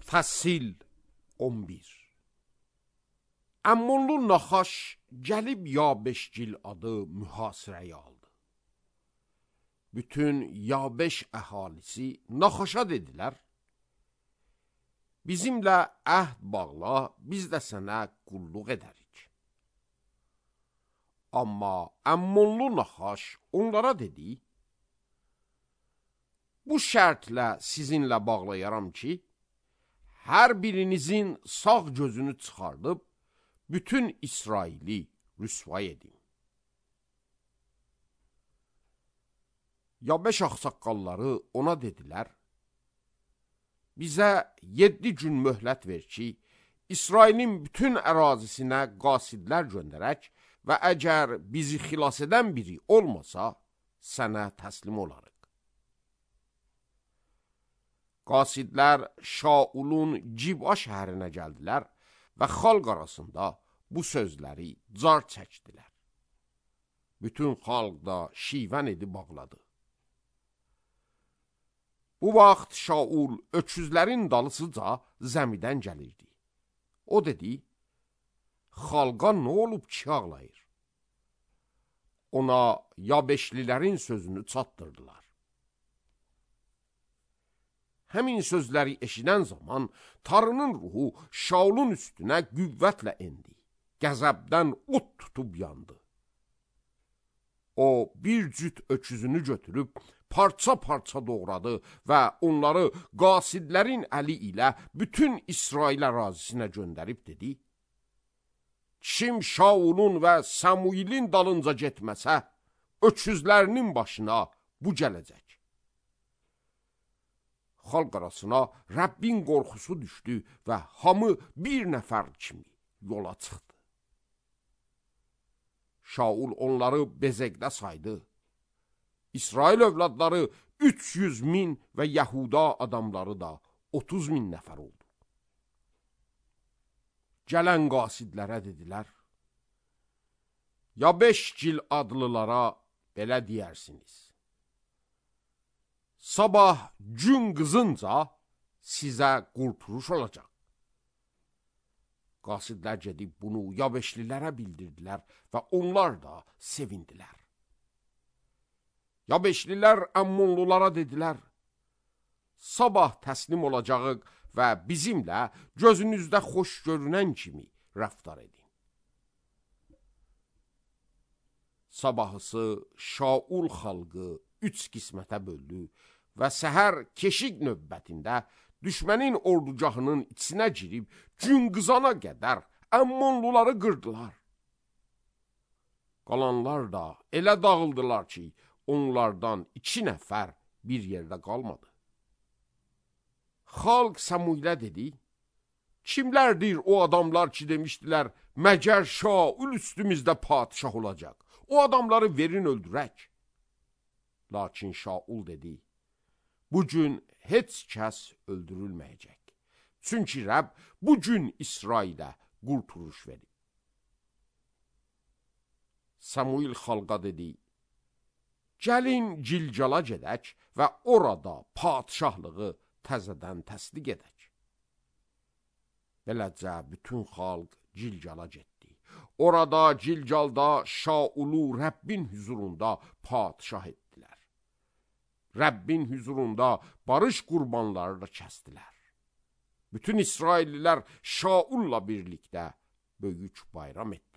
Fəsil 11. Əmmonlu Naxaş gəlib Yabeşgil adı mühasirəyə aldı. Bütün Yabeş əhalisi Naxaşa dedilər, bizimlə əhd bağla, biz də sənə qulluq edərik. Amma Əmmonlu Naxaş onlara dedi, bu şərtlə sizinlə bağlayaram ki, hər birinizin sağ gözünü çıxardıb, bütün İsraili rüsvay edin. Yabeş ağsaqqalları ona dedilər, bizə 7 gün möhlət ver ki, İsrailin bütün ərazisinə qasidlər göndərək və əgər bizi xilas edən biri olmasa, sənə təslim olarıq. Qasidlər Şaulun Ciba şəhərinə gəldilər və xalq arasında bu sözləri car çəkdilər. Bütün xalq da şivən edib bağladı. Bu vaxt Şaul öküzlərin dalısıca zəmidən gəlirdi. O dedi, xalqa nə olub ki ağlayır? Ona Yabeşlilərin sözünü çatdırdılar. Həmin sözləri eşidən zaman Tanrının ruhu Şaulun üstünə qüvvətlə endi. Qəzəbdən od tutub yandı. O bir cüt öküzünü götürüb parça-parça doğradı və onları qasidlərin əli ilə bütün İsrail ərazisinə göndərib dedi, kim Şaulun və Samuilin dalınca getməsə, öküzlərinin başına bu gələcək. Xalq arasına Rəbbin qorxusu düşdü və hamı bir nəfər kimi yola çıxdı. Şaul onları bezəkdə saydı. İsrail övladları 300 min və Yahuda adamları da 30 min nəfər oldu. Gələn qasidlərə dedilər, Yabeşgil adlılara belə deyərsiniz. Sabah gün qızınca sizə qurtuluş olacaq. Qasidlər gedib bunu Yabeşlilərə bildirdilər və onlar da sevindilər. Yabeşlilər Əmmonlulara dedilər, sabah təslim olacağıq və bizimlə gözünüzdə xoş görünən kimi rəftar edin. Sabahısı Şaul xalqı 3 qismətə böldü və səhər keşik növbətində düşmənin ordugahının içinə girib gün qızana qədər Əmmonluları qırdılar. Qalanlar da elə dağıldılar ki, onlardan 2 nəfər bir yerdə qalmadı. Xalq Samuilə dedi, kimlərdir o adamlar ki demişdilər, məgər Şaul üstümüzdə padişah olacaq, o adamları verin öldürək. Lakin Şaul dedi, bugün heç kəs öldürülməyəcək. Çünki Rəbb bugün İsrailə qurtuluş verib. Samuil xalqa dedi, gəlin Gilgala gedək və orada padişahlığı təzədən təsdiq edək. Beləcə bütün xalq Gilgala getdi. Orada Gilgalda Şaulu Rəbbin hüzurunda padişah etdilər. Rəbbin hüzurunda barış qurbanları da kəsdilər. Bütün İsraillilər Şaulla birlikdə böyük bayram etdilər.